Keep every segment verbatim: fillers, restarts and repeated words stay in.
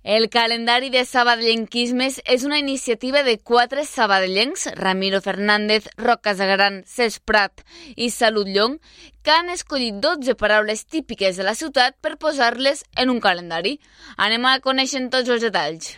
El calendari de sabadellenquismes és una iniciativa de quatre sabadellencs, Ramiro Fernández, Roc Casagran, Cesc Prat i Salut Llong, que han escollit dotze paraules típiques de la ciutat per posar-les en un calendari. Anem a conèixer tots els detalls.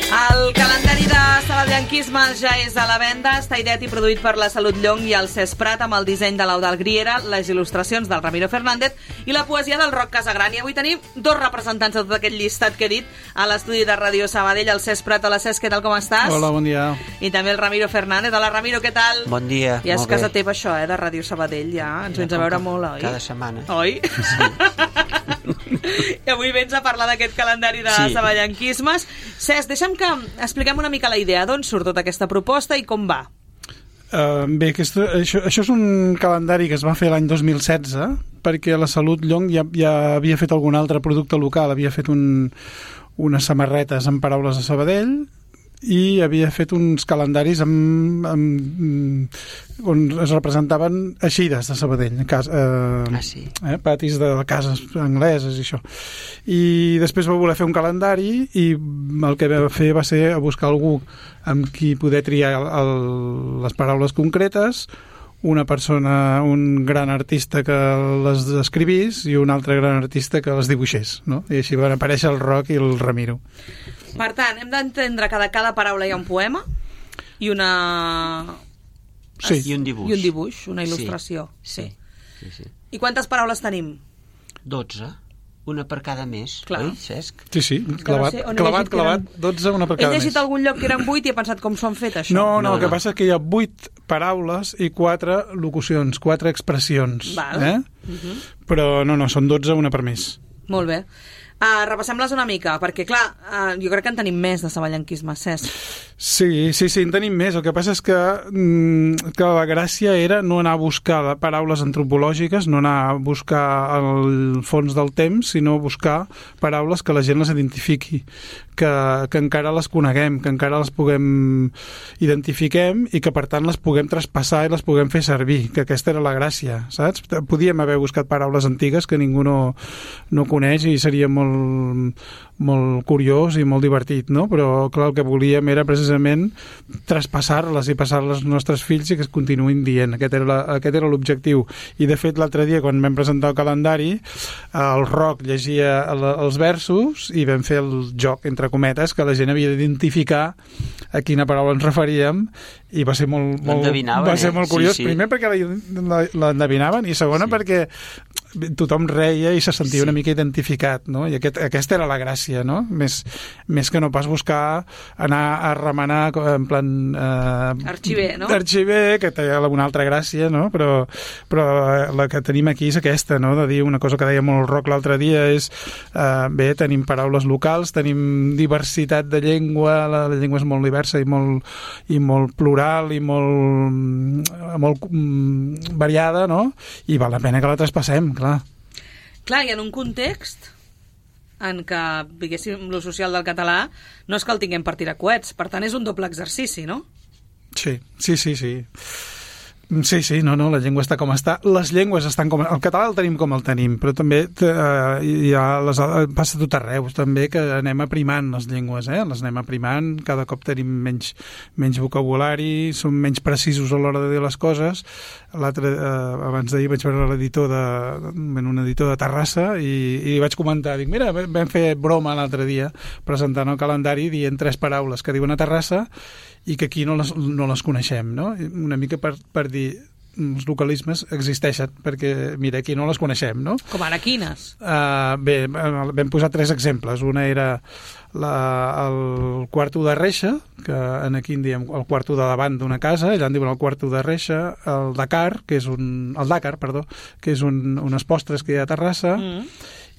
El calendari de sabadellenquismes ja és a la venda, està ideat i produït per la Salut Llong i el Cesc Prat amb el disseny de l'Eudald Griera, les il·lustracions del Ramiro Fernández i la poesia del Roc Casagran. I avui tenim dos representants de tot aquest llistat que he dit a l'estudi de Ràdio Sabadell, el Cesc Prat. Hola Cesc, què tal, com estàs? Hola, bon dia. I també el Ramiro Fernández. Hola Ramiro, què tal? Bon dia, ja és molt bé. casa teva això, eh, de Ràdio Sabadell, ja. Ens Ja, vens a com veure que molt, oi? cada setmana. Oi? Sí. I avui vens a parlar d'aquest calendari de Sí. sabadellenquismes. Cesc, deixa'm que expliquem una mica la idea, d'on surt tota aquesta proposta i com va. Uh, bé, aquesta, això, això és un calendari que es va fer l'any dos mil setze, perquè la Salut Llong ja, ja havia fet algun altre producte local, havia fet un, unes samarretes amb paraules de Sabadell i havia fet uns calendaris amb, amb, on es representaven eixides de Sabadell, cas, eh, Ah, sí. eh, patis de cases angleses i això. I després va voler fer un calendari i el que va fer va ser buscar algú amb qui poder triar el, les paraules concretes, una persona, un gran artista que les escrivís i un altre gran artista que les dibuixés, no? I així van aparèixer el Roc i el Ramiro. Per tant, hem d'entendre que de cada paraula hi ha un poema i una... Sí. I un dibuix. I un dibuix, una il·lustració. Sí, sí, sí. I quantes paraules tenim? dotze, una per cada mes, Clar. oi, Cesc? Sí, sí, clavat, no sé on he clavat, llegit que clavat, eren- dotze, una per He cada llegit mes. algun lloc que eren vuit i he pensat com s'ho han fet, això. No, no, No, el que no. passa és que hi ha vuit paraules i quatre locucions, quatre expressions. Val. Eh? Uh-huh. Però no, no, són dotze, una per mes. Molt bé. Uh, repassem-les una mica, perquè, clar, uh, jo crec que en tenim més de sabadellenquisme, Cesc. Sí, sí, sí, en tenim més. El que passa és que, mm, que la gràcia era no anar a buscar paraules antropològiques, no anar a buscar el fons del temps, sinó buscar paraules que la gent les identifiqui, que, que encara les coneguem, que encara les puguem identifiquem i que, per tant, les puguem traspassar i les puguem fer servir, que aquesta era la gràcia, saps? Podíem haver buscat paraules antigues que ningú no, no coneix i seria molt, molt curiós i molt divertit, no? Però, clar, el que volíem era precisament traspassar-les i passar-les als nostres fills i que es continuïn dient. Aquest era, la, aquest era l'objectiu. I, de fet, l'altre dia, quan vam presentar el calendari, el Roc llegia el, els versos i vam fer el joc, entre cometes, que la gent havia d'identificar a quina paraula ens referíem i va ser molt, molt, va ser molt curiós. Sí, sí. Primer perquè l'endevinaven i segona Sí. perquè tothom reia i se sentia Sí. una mica identificat, no? I aquest, aquesta era la gràcia, no? Més, més que no pas buscar anar a remenar en plan... Eh, Arxiver, no? Arxiver, que té alguna altra gràcia, no? Però, però la que tenim aquí és aquesta, no? De dir una cosa que deia molt el Roc l'altre dia és, eh, bé, tenim paraules locals, tenim diversitat de llengua, la, la llengua és molt diversa i molt, i molt plural i molt, molt mm, variada, no? I val la pena que la traspassem, clar. Clar, i en un context en què, diguéssim, lo social del català no és que el tinguem per tirar coets, per tant és un doble exercici, no? Sí, sí, sí, sí. Sí, sí, no, no, la llengua està com està. Les llengües estan com... El català el tenim com el tenim, però també eh, hi ha les, passa tot arreu, també que anem aprimant les llengües, eh? Les anem aprimant, cada cop tenim menys, menys vocabulari, som menys precisos a l'hora de dir les coses. L'altre, eh, abans d'ahir vaig veure l'editor de, un editor de Terrassa i, i vaig comentar, dic, mira, vam fer broma l'altre dia presentant el calendari dient tres paraules que diuen a Terrassa i que aquí no les, no les coneixem, no? Una mica per, per dir els localismes existeixen, perquè, mira, aquí no les coneixem, no? Com ara quines? Uh, bé, vam posar tres exemples. Una era la, el quarto de reixa, que en aquí en diem el quarto de davant d'una casa, allà en diuen el quarto de reixa, el Dakar, que és un... el Dakar, perdó, que és un, unes postres que hi ha a Terrassa, mm.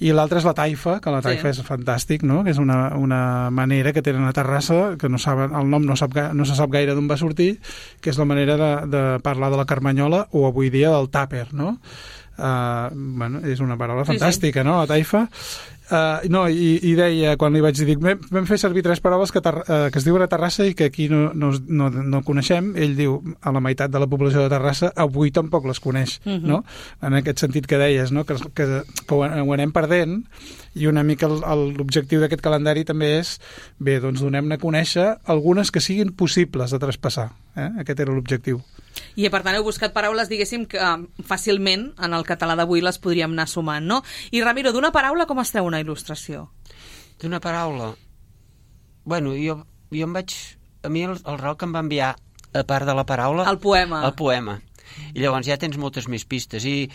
i l'altra és la taifa, que la taifa sí. és fantàstic, no? Que és una, una manera que tenen a Terrassa, que no saben, el nom no, sap, no se sap gaire d'on va sortir, que és la manera de, de parlar de la carmanyola o avui dia del tàper, no? Uh, bueno, és una paraula fantàstica, sí, sí. no?, la taifa. Uh, no, i, i deia, quan li vaig dir, dic, vam fer servir tres paraules que, uh, que es diuen a Terrassa i que aquí no, no, no, no coneixem. Ell diu, a la meitat de la població de Terrassa avui tampoc les coneix, uh-huh. no? En aquest sentit que deies, no?, que, que, que ho, ho anem perdent, i una mica l'objectiu d'aquest calendari també és, bé, doncs donem-ne a conèixer algunes que siguin possibles de traspassar. Eh? Aquest era l'objectiu. I per tant heu buscat paraules, diguéssim, que fàcilment en el català d'avui les podríem anar sumant, no? I Ramiro, d'una paraula com es treu una il·lustració? D'una paraula? Bueno, jo, jo em vaig... A mi el, el Roc em va enviar, a part de la paraula... El poema. El poema. I llavors ja tens moltes més pistes. I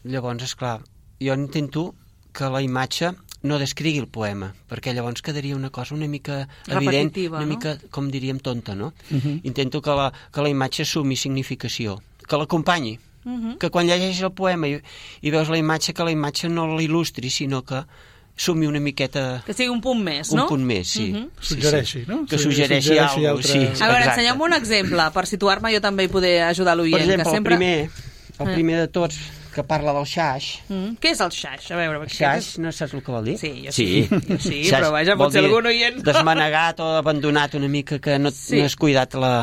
llavors, esclar, jo intento que la imatge no descrigui el poema, perquè llavors quedaria una cosa una mica evident, una no? mica, com diríem, tonta, no? Uh-huh. Intento que la, que la imatge assumi significació, que l'acompanyi, uh-huh. que quan llegeixes el poema i, i veus la imatge, que la imatge no l'il·lustri, sinó que sumi una miqueta... Que sigui un punt més, un no? Un punt més, sí. Uh-huh. sí suggereixi, sí. no? Que suggereixi, suggereixi alguna cosa, sí. A veure, ensenya'm un exemple, per situar-me jo també i poder ajudar l'oient. Per exemple, que sempre... el primer, el primer de tots, que parla del xaix. Mm. Què és el xaix? A veure, xaix, no saps el que vol dir? Sí, jo sí. sí. Jo sí, xaix però vaja, potser algun oient... Desmanegat o abandonat una mica, que no, sí. no has cuidat la...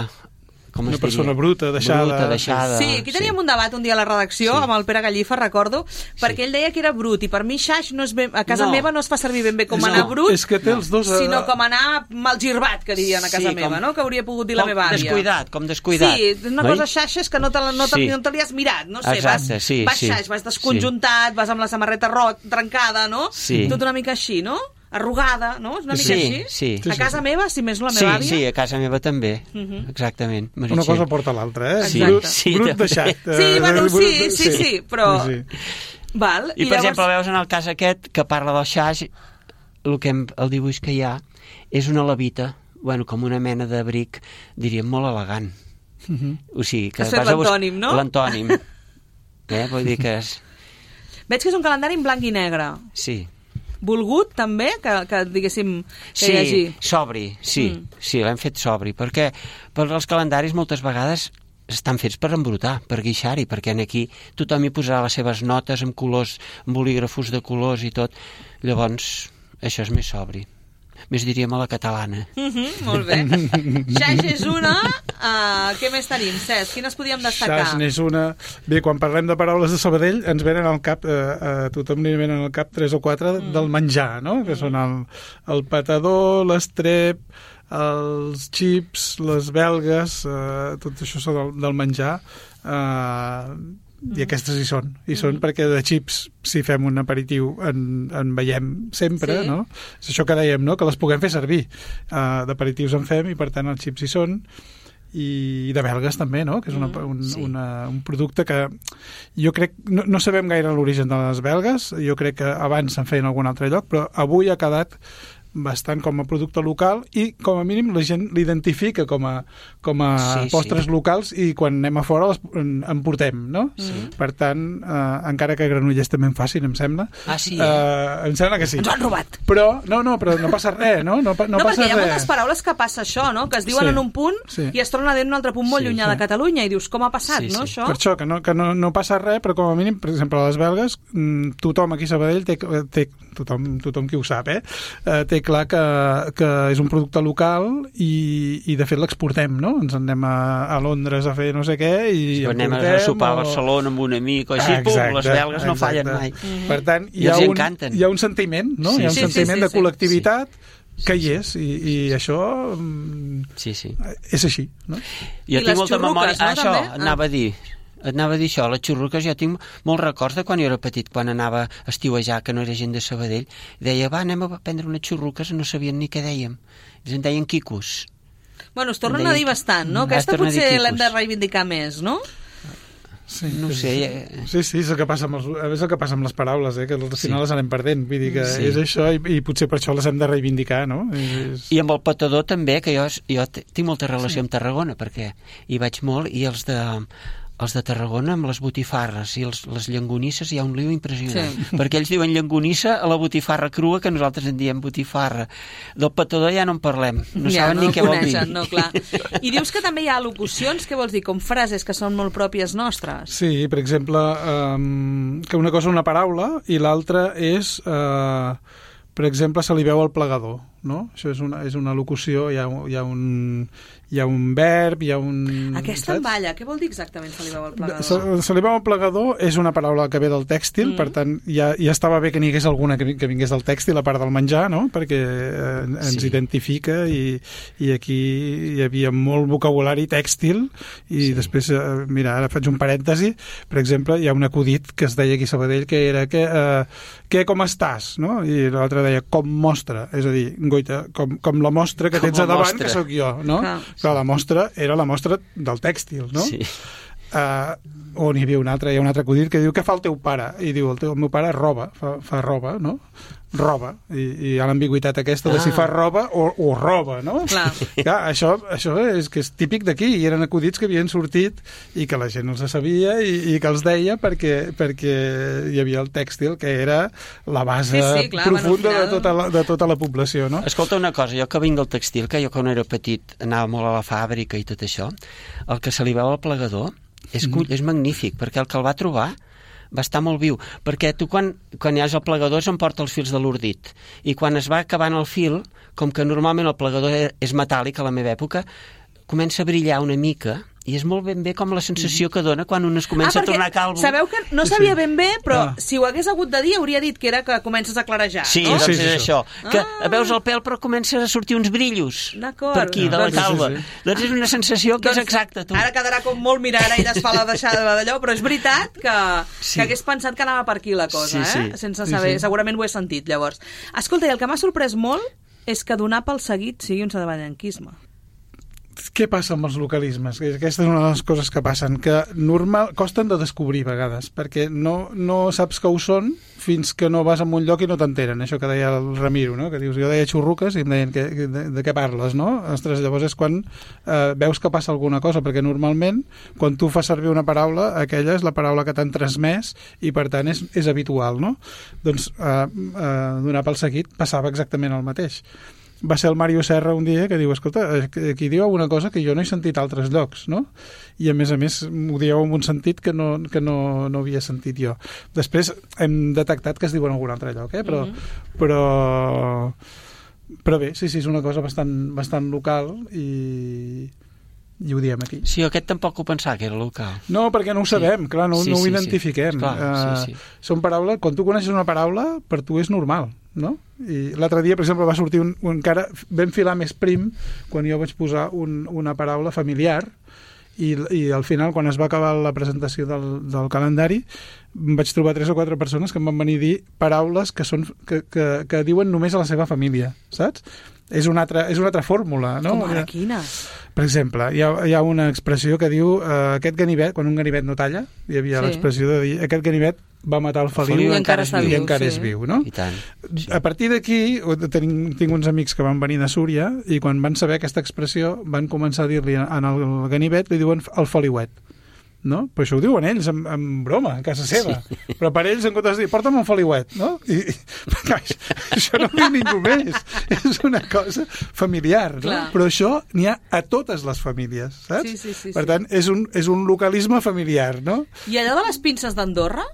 Com una persona bruta, deixada. Bruta, deixada. Sí, aquí teníem sí. un debat un dia a la redacció sí. amb el Pere Gallifa, recordo, perquè sí. ell deia que era brut, i per mi xaix no és ben, a casa no. meva no es fa servir ben bé com no. anar brut, és que té els dos, sinó com anar malgirbat, que dirien a casa sí, meva, com, no? Que hauria pogut dir la meva àvia. Descuidat, com descuidat. Sí, una cosa xaix és que no te, no te, sí. no te li has mirat, no sé, exacte, vas, sí, vas sí. xaix, vas desconjuntat, sí. vas amb la samarreta rot, trencada, no? Sí. Tot una mica així, no? Arrugada, no? És una mica sí, així? Sí, sí. A casa meva, si més la meva sí, àvia? Sí, a casa meva també, uh-huh. exactament. Una cosa porta l'altra, eh? Sí, brut, sí, brut deixat. Sí, bueno, sí, sí, sí, sí, però... Sí, sí. Val, I, I per llavors... exemple, veus en el cas aquest, que parla del xaix, el, que hem, el dibuix que hi ha és una levita, bueno, com una mena d'abric, diríem, molt elegant. Uh-huh. O sigui, que has fet l'antònim, no? L'antònim. eh? Vull dir que és... Veig que és un calendari en blanc i negre. Sí. Volgut, també, que, que diguéssim, que sí, hi hagi... sobri, sí, mm. sí, l'hem fet sobri, perquè per els calendaris moltes vegades estan fets per embrutar, per guixar-hi, perquè aquí tothom hi posarà les seves notes amb colors, amb bolígrafos de colors i tot, llavors això és més sobri. Més diríem a la catalana. Mm-hmm, molt bé. Xaix és una. Uh, què més tenim, Cesc? Quines podíem destacar? Xaix és una. Bé, quan parlem de paraules de Sabadell, ens venen al cap, uh, a tothom li venen al cap tres o quatre mm. del menjar, no? Mm. Que són el, el patador, l'estrep, els xips, les belgues, uh, tot això són del, del menjar. Uh, i aquestes hi són, hi són mm. perquè de xips, si fem un aperitiu en, en veiem sempre, sí. no? És això que dèiem, no? Que les puguem fer servir, uh, d'aperitius en fem i per tant els xips hi són, i de belgues també, no? Que és una, un, sí. una, un producte que jo crec, no, no sabem gaire l'origen de les belgues, jo crec que abans se'n feien en algun altre lloc, però avui ha quedat bastant com a producte local i com a mínim la gent l'identifica com a, com a sí, postres sí. locals i quan anem a fora les en, en portem, no? Sí. Per tant, eh, encara que Granollers també en facin, em sembla. Ah, sí? Eh, em sembla que sí. Ens ho han robat. Però, no, no, però no passa res, no? No, no, no passa perquè hi ha res. moltes paraules que passa això, no? Que es diuen sí. en un punt sí. i es tornen a dir en un altre punt molt sí, llunyà sí. de Catalunya i dius, com ha passat, sí, no, sí. això? Per això, que, no, que no, no passa res, però com a mínim, per exemple, a les belgues, tothom aquí a Sabadell té, té tothom, tothom qui ho sap, eh? eh té clar que, que és un producte local i, i de fet l'exportem, no? Ens en anem a, a Londres a fer no sé què i si anem a sopar a Barcelona amb un amic o així, exacte, pum, les belgues no exacte. fallen mai. Mm-hmm. Per tant, hi ha, un, hi ha un sentiment, no? Sí, hi ha un sí, sentiment sí, sí, de col·lectivitat sí. que hi és i, i això sí, sí. és així, no? Jo I tinc molta memòria, no, això també? anava a dir et anava a dir això, les xurruques, jo tinc molts records de quan jo era petit, quan anava a estiuejar, que no era gent de Sabadell, deia, va, anem a prendre unes xurruques, no sabien ni què dèiem. Ells en deien quicos. Bueno, es tornen a dir bastant, no? Aquesta potser l'hem de reivindicar més, no? Sí, no sé. Sí, sí, és el que passa amb, els, és el que passa amb les paraules, eh? Que al final sí. les anem perdent. Vull dir que sí. és això i, i potser per això les hem de reivindicar, no? És... I amb el patador també, que jo, jo tinc molta relació sí. amb Tarragona, perquè hi vaig molt, i els de... els de Tarragona amb les botifarres i els, les llangonisses hi ha un lío impressionant, Sí. perquè ells diuen llangonissa a la botifarra crua, que nosaltres en diem botifarra. Del petador ja no en parlem, no ja, saben no ni què vol dir. coneixen, no, clar. I dius que també hi ha al·locucions, què vols dir, com frases que són molt pròpies nostres? Sí, per exemple, um, que una cosa és una paraula i l'altra és, uh, per exemple, se li veu al plegador, no? Això és una, és una locució, hi ha, hi ha un... hi ha un verb, hi ha un... Aquesta en balla, què vol dir exactament se li veu al plegador? Se, se li veu al plegador és una paraula que ve del tèxtil, mm. per tant, ja, ja estava bé que n'hi hagués alguna que, que vingués del tèxtil, a part del menjar, no? Perquè eh, ens sí. identifica i, i aquí hi havia molt vocabulari tèxtil i sí. després, eh, mira, ara faig un parèntesi, per exemple, hi ha un acudit que es deia aquí a Sabadell que era que, eh, què, com estàs? No? I l'altre deia, com mostra, és a dir, goita, com, com la mostra que com tens a davant, mostra. Que sóc jo, no? Ah. Clar, la mostra era la mostra del tèxtil, no? Sí. Uh, on hi havia un altre, hi ha un altre acudit que diu, què fa el teu pare? I diu, el, teu, el meu pare roba, fa, fa roba, no? Roba, i, i hi ha l'ambigüitat aquesta ah. de si fa roba o, o roba, no? Clar. Clar, això, això és que és típic d'aquí, i eren acudits que havien sortit i que la gent els sabia i, i que els deia perquè, perquè hi havia el tèxtil, que era la base sí, sí, clar, profunda bueno, final... de, tota la, de tota la població, no? Escolta una cosa, jo que vinc del tèxtil, que jo quan era petit anava molt a la fàbrica i tot això, el que se li veu al plegador és, mm. és magnífic, perquè el que el va trobar va estar molt viu, perquè tu quan, quan hi has el plegador se'n porta els fils de l'ordit, i quan es va acabant el fil, com que normalment el plegador és metàl·lic a la meva època, comença a brillar una mica, i és molt ben bé com la sensació que dona quan un es comença ah, a tornar calvo. Sabeu que no sabia ben bé, però ah. si ho hagués hagut de dir hauria dit que era que comences a clarejar, sí, no? doncs sí, sí, és això, que ah. veus el pèl però comença a sortir uns brillos per aquí, de la doncs, calva. sí, sí. Doncs és una sensació que doncs, és exacta, tu. Ara quedarà com molt mirar, ara ella es fa la deixada d'allò, però és veritat que, sí. que hagués pensat que anava per aquí la cosa, sí, sí. eh? Sense saber, sí, sí. Segurament ho he sentit, llavors. Escolta, i el que m'ha sorprès molt és que donar pel seguit sigui un sabadellenquisme. Què passa amb els localismes? Aquesta és una de les coses que passen, que normal, costen de descobrir a vegades, perquè no, no saps que ho són fins que no vas a un lloc i no t'enteren, això que deia el Ramiro, no? Que dius, jo deia xurruques i em deien, que, de, de què parles, no? Ostres, llavors és quan eh, veus que passa alguna cosa, perquè normalment, quan tu fas servir una paraula, aquella és la paraula que t'han transmès i, per tant, és, és habitual, no? Doncs eh, eh, donar pel seguit passava exactament el mateix. Va ser el Mario Serra un dia que diu, escolta, aquí diu alguna cosa que jo no he sentit a altres llocs, no? I a més a més ho dieu en un sentit que no, que no, no havia sentit jo. Després hem detectat que es diu en algun altre lloc, eh? Però, mm-hmm. però, però bé, sí, sí, és una cosa bastant, bastant local i... i ho diem aquí. Sí, aquest tampoc ho pensava que era local. No, perquè no ho sabem, sí. clar, no, sí, no ho sí, identifiquem. Sí. Clar, uh, sí, sí. Són paraules, quan tu coneixes una paraula, per tu és normal, no? I l'altre dia, per exemple, va sortir un, un encara vam filar més prim quan jo vaig posar un, una paraula familiar i, i al final, quan es va acabar la presentació del, del calendari, vaig trobar tres o quatre persones que em van venir a dir paraules que, són, que, que, que diuen només a la seva família, saps? És una altra, és una altra fórmula, no? Com ara, quina? Per exemple, hi ha, hi ha una expressió que diu uh, aquest ganivet, quan un ganivet no talla, hi havia sí. l'expressió de dir aquest ganivet va matar el feliu, feliu i encara, encara, viu, i encara sí. és viu, no? I tant. Sí. A partir d'aquí, tinc, tinc uns amics que van venir de Súria i quan van saber aquesta expressió van començar a dir-li en el ganivet, li diuen el feliuet. No? Però això ho diuen ells en, en broma, a casa seva. Sí. Però per ells, en comptes de dir, porta'm un feliuet, no? I, i, això no ho diu ningú més. És una cosa familiar, no? Clar. Però això n'hi ha a totes les famílies, saps? Sí, sí, sí, per sí. tant, és un, és un localisme familiar, no? I allò de les pinces d'Andorra?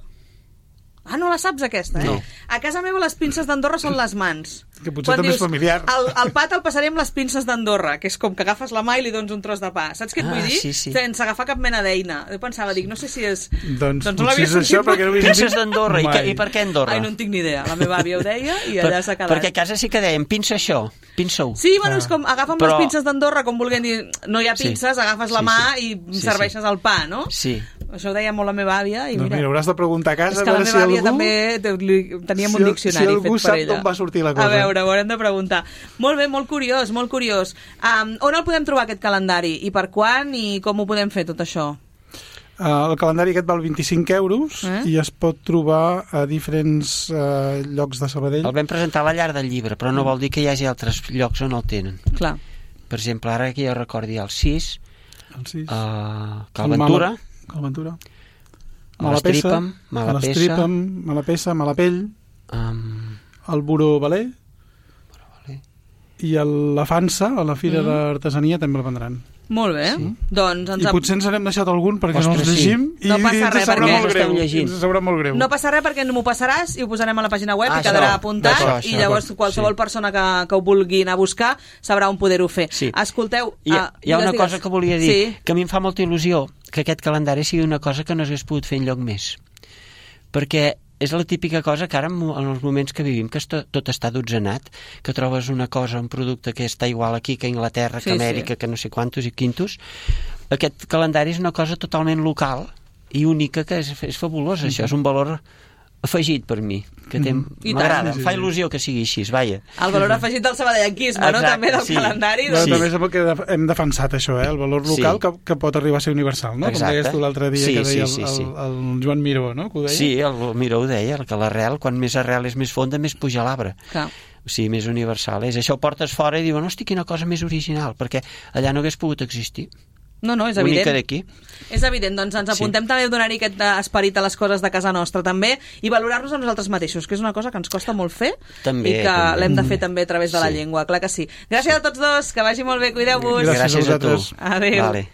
Ah, no la saps, aquesta, eh? No. A casa meva les pinces d'Andorra són les mans. Que potser també és familiar. El, el pa te'l passaré amb les pinces d'Andorra, que és com que agafes la mà i li dones un tros de pa. Saps què et ah, vull dir? Sí, sí. Sense agafar cap mena d'eina. Jo pensava, dic, no sé si és... Doncs, doncs no potser és això, perquè no ho he Pinces d'Andorra. I, que, I per què Andorra? Ai, no en tinc ni idea. La meva àvia ho deia i allà s'ha quedat. Perquè a casa sí que dèiem, pinça això, pinça-ho. Sí, bueno, ah. és com agafa'm Però... les pinces d'Andorra, com volguem dir, no hi ha pinces, sí. agafes la sí, mà sí. i sí, serveixes sí. el pa, no? Sí. Això ho deia molt la meva àvia i doncs mira... mira, hauràs de preguntar a casa és que a la veure meva si àvia algú... també teníem si, un diccionari si fet per ella. Si algú sap d'on va sortir la cosa. A veure, ho haurem de preguntar. Molt bé, molt curiós, molt curiós. Um, on el podem trobar, aquest calendari? I per quan? I com ho podem fer, tot això? Uh, el calendari aquest val vint-i-cinc euros eh? i es pot trobar a diferents uh, llocs de Sabadell. El vam presentar a la llar del llibre, però no vol dir que hi hagi altres llocs on el tenen. Clar. Per exemple, ara que jo recordi el sis, el sis. Uh, Cal Ventura, Calventura. A l'Estripam, mala a l'Estripam, mala peça, mala pell, Um, el Buró Valer vale. i el, la Fansa, a la Fira Mm. d'Artesania, també el vendran. Molt bé. Sí. Doncs ens I potser ens n'hem deixat algun perquè no Ostres, els llegim sí. i, No passa i ens res, sabrà perquè molt greu. estem llegint. Ens sabrà molt greu. No passa res perquè m'ho passaràs i ho posarem a la pàgina web Ah, i quedarà això. apuntat D'acord, i això. llavors qualsevol Sí. persona que, que ho vulgui anar a buscar sabrà on poder-ho fer. Sí. Escolteu... Hi ha, ah, hi ha digues, una digues. cosa que volia dir, Sí. que a mi em fa molta il·lusió que aquest calendari sigui una cosa que no s'hagués pogut fer enlloc més. Perquè és la típica cosa que ara, en els moments que vivim, que tot, tot està dotzenat, que trobes una cosa, un producte que està igual aquí que a Inglaterra, Sí, que a Amèrica, sí. que no sé quantos i quintos. Aquest calendari és una cosa totalment local i única, que és, és fabulosa. Mm-hmm. Això és un valor afegit per mi, que té- I m'agrada, tant. em fa il·lusió que sigui així, vaja. El valor afegit del sabadellenquisme, no? Exacte, També del sí. calendari. Però Sí. també és el que def- hem defensat això, eh? El valor local Sí. que, que pot arribar a ser universal, no? Exacte. Com deies tu l'altre dia Sí, que deia sí, sí, el, sí. el, el Joan Miró, no? Que ho deia? Sí, el Miró ho deia, que l'arrel, quan més arrel és més fonda, més puja l'arbre. Clar. O sigui, més universal és. Això ho portes fora i diuen, hosti, quina cosa més original, perquè allà no hagués pogut existir. No, no, és Única evident. d'aquí. És evident, doncs ens apuntem Sí. també a donar-hi aquest eh, esperit a les coses de casa nostra també i valorar-nos a nosaltres mateixos, que és una cosa que ens costa molt fer També, i que també. l'hem de fer també a través de la Sí. llengua, clar que sí. Gràcies a tots dos, que vagi molt bé, cuideu-vos. Gràcies a Gràcies a tu. vosaltres. Adéu. Vale.